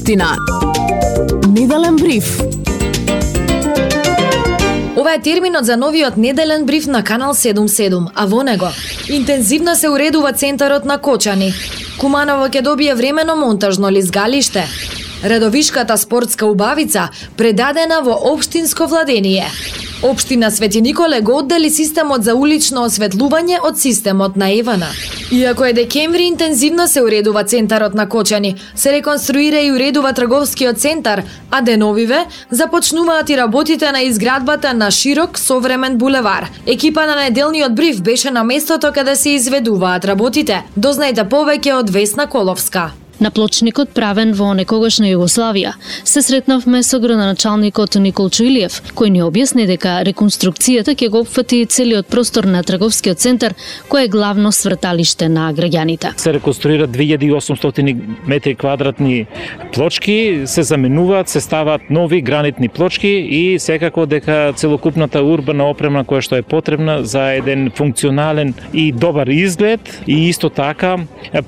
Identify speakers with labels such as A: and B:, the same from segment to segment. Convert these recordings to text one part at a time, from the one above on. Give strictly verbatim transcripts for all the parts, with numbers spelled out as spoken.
A: општина. Неделен бриф.
B: Ова е терминот за новиот неделен бриф на Канал седум седум, а во него интензивно се уредува центарот на Кочани. Куманово ќе добие времено монтажно лизгалиште. Редовишката спортска убавица предадена во општинско владение. Општина Свети Николе го оддели системот за улично осветлување од системот на Евана. Иако е декември, интензивно се уредува центарот на Кочани, се реконструира и уредува трговскиот центар, а деновиве започнуваат и работите на изградбата на широк современ булевар. Екипа на неделниот бриф беше на местото каде се изведуваат работите. Дознајте повеќе од Весна Коловска.
C: На плочникот правен во некогашна Југославија се сретнавме со градоначалникот Николчо Илиев, кој ни објасни дека реконструкцијата ќе го опфати целиот простор на трговскиот центар, кој е главно сврталиште на граѓаните.
D: Се реконструираат две илјади и осумстотини метри квадратни плочки, се заменуваат, се ставаат нови гранитни плочки и секако дека целокупната урбана опрема која што е потребна за еден функционален и добар изглед, и исто така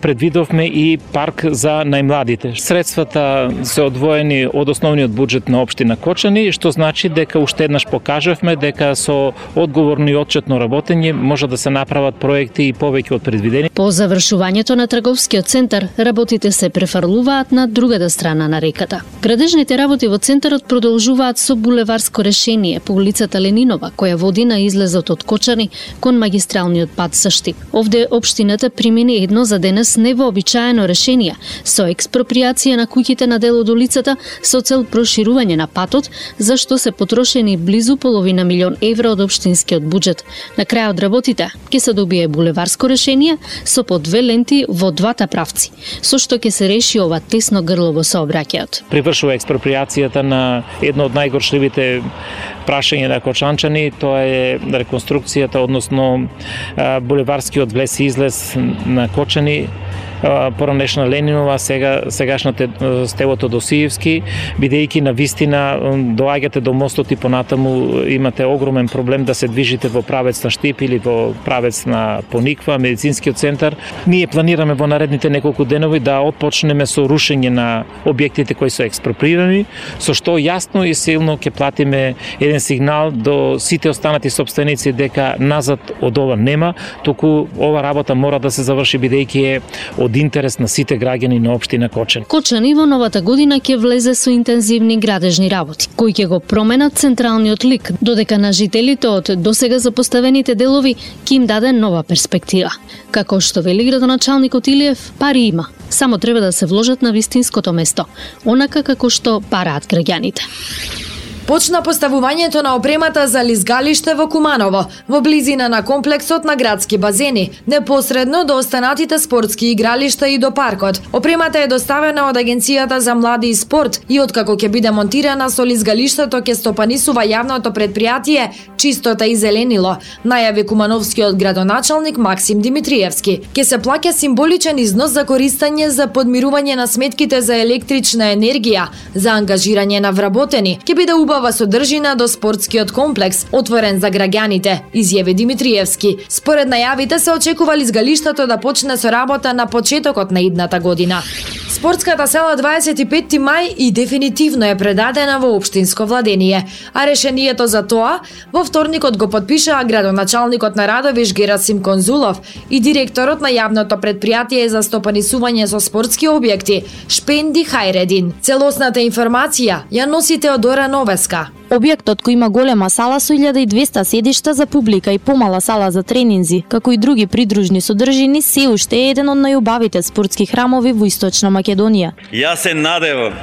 D: предвидовме и парк за најмладите. Средствата се одвоени од основниот буџет на општина Кочани, што значи дека уште еднаш покажавме дека со одговорно и отчетно работење може да се направат проекти и повеќе од предвидени.
C: По завршувањето на трговскиот центар, работите се префрлуваат на другата страна на реката. Градежните работи во центарот продолжуваат со булеварско решение по улицата Ленинова, која води на излезот од Кочани кон магистралниот пат со Штип. Овде општината примени едно за денес невообичаено решение со експроприација на куќите на дел од улицата со цел проширување на патот, за што се потрошени близу половина милион евра од општинскиот буџет. На крајот работите ќе се добие булеварско решение со по две ленти во двата правци, со што ќе се реши ова тесно грло во сообраќајот.
D: Привршува експроприацијата на едно од најгоршливите прашања на кочанчани, тоа е реконструкцијата, односно булеварскиот влез и излез на Кочани, поранешна Ленинова, сега сегашната стелото до Сиевски, бидејќи на вистина доаѓате до мостот и понатаму имате огромен проблем да се движите во правец на Штип или во правец на Пониква, медицинскиот центар. Ние планираме во наредните неколку денови да отпочнеме со рушење на објектите кои се експроприирани, со што јасно и силно ќе платиме еден сигнал до сите останати сопственици дека назад од ова нема, туку ова работа мора да се заврши бидејќи е од интерес на сите граѓани на општина Кочани.
C: Кочани во новата година ќе влезе со интензивни градежни работи, кои ќе го променат централниот лик, додека на жителите од досега запоставените делови ќе им даде нова перспектива. Како што вели градоначалникот Илиев, пари има, само треба да се вложат на вистинското место, онака како што бараат граѓаните.
B: Почна поставувањето на опремата за лизгалиште во Куманово, во близина на комплексот на градски базени, непосредно до останатите спортски игралишта и до паркот. Опремата е доставена од Агенцијата за млади и спорт и откако ќе биде монтирана со лизгалиштето ќе стопанисува јавното предпријатие Чистота и зеленило, најави кумановскиот градоначалник Максим Димитриевски. Ќе се плаќа символичен износ за користење за подмирување на сметките за електрична енергија, за ангажирање на вработени. Ќе биде убава содржина до спортскиот комплекс, отворен за граѓаните, изјави Димитриевски. Според најавите се очекува лизгалиштето да почне со работа на почетокот на идната година. Спортската сала дваесет и петти мај и дефинитивно е предадена во општинско владение, а решението за тоа во вторникот го подпишаа градоначалникот на Радовиш Герасим Конзулов и директорот на јавното предпријатие за стопанисување со спортски објекти Шпенди Хајредин. Целосната информација ја носи Теодора Новеска.
E: Објектот кој има голема сала со илјада и двесте седишта за публика и помала сала за тренинзи, како и други придружни содржини, се уште е еден од најубавите спортски храмови во Источна Македонија.
F: Јас се надевам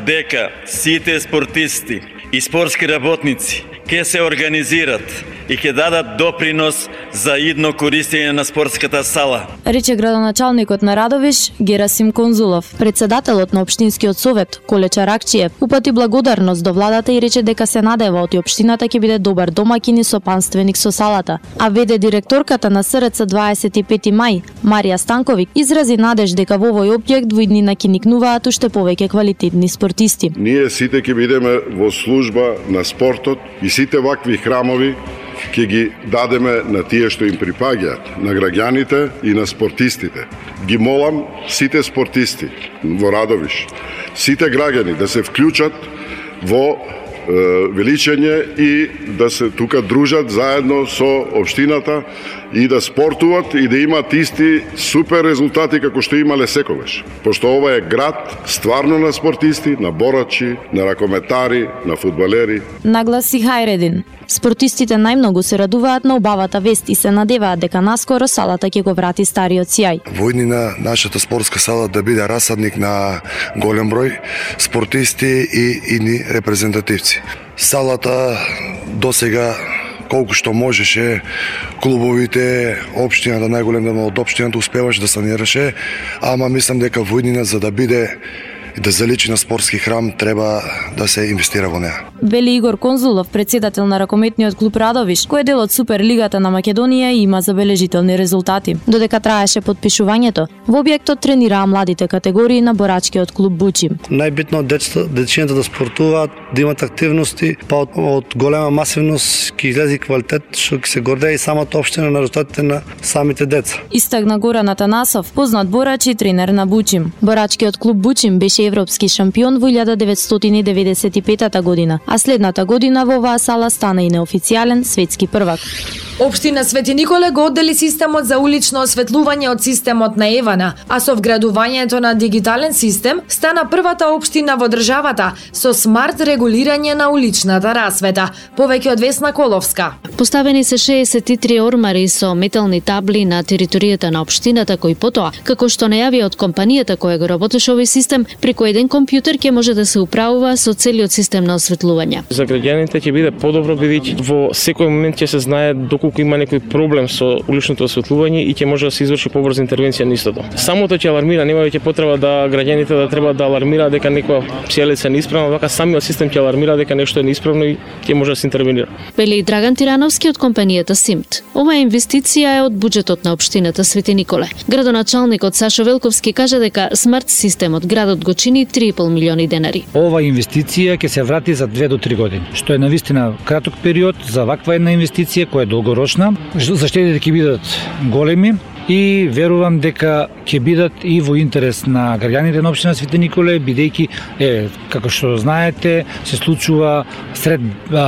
F: дека сите спортисти и спортски работници ќе се организират и ќе дадат допринос за идно користење на спортската сала,
E: рече градоначалникот на Радовиш Герасим Конзулов. Председателот на општинскиот совет Коле Чаракчиев упати благодарност до владата и рече дека се надева од општината ќе биде добар домаќин и сопанственик со салата. А веде директорката на СРЦ дваесет и петти мај Марија Станковик изрази надеж дека во овој објект во иднина ќе никнуваат уште повеќе квалитетни спортисти.
G: Ние сите ќе бидеме во служба на спортот и сите вакви храмови ќе ги дадеме на тие што им припаѓаат, на граѓаните и на спортистите. Ги молам сите спортисти во Радовиш, сите граѓани да се вклучат во величење и да се тука дружат заедно со општината и да спортуват и да имаат исти супер резултати како што имале секогаш. Пошто ова е град стварно на спортисти, на борачи, на ракометари, на фудбалери.
E: Нагласи Хајредин. Спортистите најмногу се радуваат на убавата вест и се надеваат дека наскоро салата ќе го врати стариот сјај.
H: Во иднина нашата спортска сала да биде расадник на голем број спортисти и идни репрезентативци. Салата досега колку што можеше, клубовите, општината, најголем дел од општината успеваше да санираше, ама мислам дека во иднина за да биде и да заличи на спортски храм треба да се инвестира во неа.
E: Вели Игор Конзулов, председател на ракометниот клуб Радовиш, кој е дел од Суперлигата на Македонија и има забележителни резултати. Додека траеше подпишувањето, во објектот тренираа младите категории на борачкиот клуб Бучим.
I: Најбитно од децата, дечината да спортуваат, да имат активности, па од, од голема масивност ќе излезе квалитет, што ќе се гордее и самата општина на резултатите на самите деца.
E: Истакна Горан Атанасов, познат борач и тренер на Бучим. Борачкиот клуб Бучим беше европски шампион во илјада деветстотини деведесет и петата година, а следната година во оваа сала стана и неофицијален светски првак.
B: Општина Свети Николе го оддели системот за улично осветлување од системот на Евана, а со вградувањето на дигитален систем стана првата општина во државата со смарт регулирање на уличната расвета. Повеќе од Весна Коловска.
C: Поставени се шеесет и три ормари со метални табли на територијата на општината, кои потоа, како што најави од компанијата која го работеше овој систем, преку еден компјутер ќе може да се управува со целиот систем на осветлување.
D: За граѓаните ќе биде подобро бидејќи во секој момент ќе се знае доколку има некој проблем со уличното осветлување и ќе може да се изврши побрза интервенција на истото. Самото ќе алармира, нема веќе потреба да граѓаните да треба да алармираат дека некоја сијалица е неисправна, вака самиот систем ќе алармира дека нешто е неисправно и ќе може да се интервенира.
C: Вели Драган Тирановски од компанијата Симт. Оваа инвестиција е од буџетот на општината Свети Николе. Градоначалникот Сашо Велковски кажа дека смарт системот градот го чини три и пол милиони денари.
J: Ова инвестиција ќе се врати за две до три години, што е навистина краток период за ваква една инвестиција која е долгорочна. Заштедите ќе бидат големи и верувам дека ќе бидат и во интерес на граѓаните на општина Свети Николе, бидејќи е како што знаете се случува сред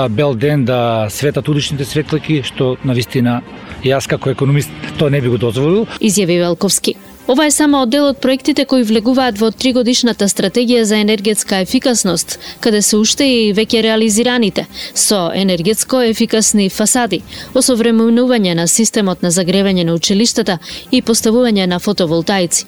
J: бел ден да светат уличните светлаки, што навистина јас како економист тоа не би го дозволил.
C: Изјави Велковски. Ова е само дел од проектите кои влегуваат во тригодишната стратегија за енергетска ефикасност, каде се уште и веќе реализираните со енергетско ефикасни фасади, осовременување на системот на загревање на училиштата и поставување на фотоволтаици.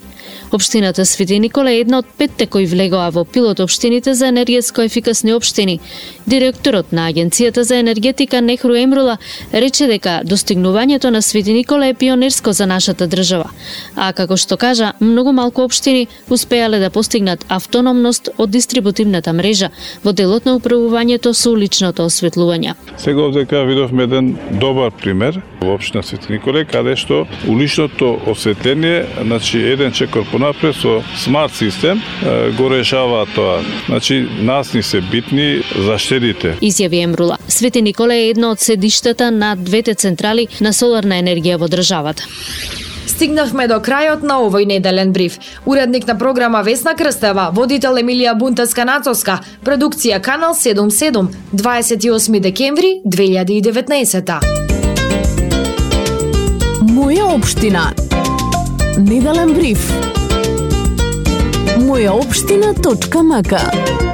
C: Општината Свети Николе е една од петте кои влегоа во пилот општините за енергетско ефикасни општини. Директорот на Агенцијата за енергетика Нехру Емрула рече дека достигнувањето на Свети Николе е пионерско за нашата држава, а како што кажа, многу малку општини успеале да постигнат автономност од дистрибутивната мрежа во делот на управувањето со уличното осветлување.
K: Сега овдека видовме еден добар пример во општина Свети Николе, каде што уличното осветление, значи еден чекор понапред со смарт систем го решава тоа. Значи нас ни се битни заштедите.
C: Изјави Емрула. Свети Николе е едно од седиштата на двете централи на соларна енергија во државата.
B: Стигнавме до крајот на овој неделен бриф. Уредник на програма Весна Крстева, водител Емилија Бунтеска-Нацовска, продукција Канал седумдесет и седум, дваесет и осми декември две илјади и деветнаесета.
A: Моја општина. Неделен бриф. моја општина точка м к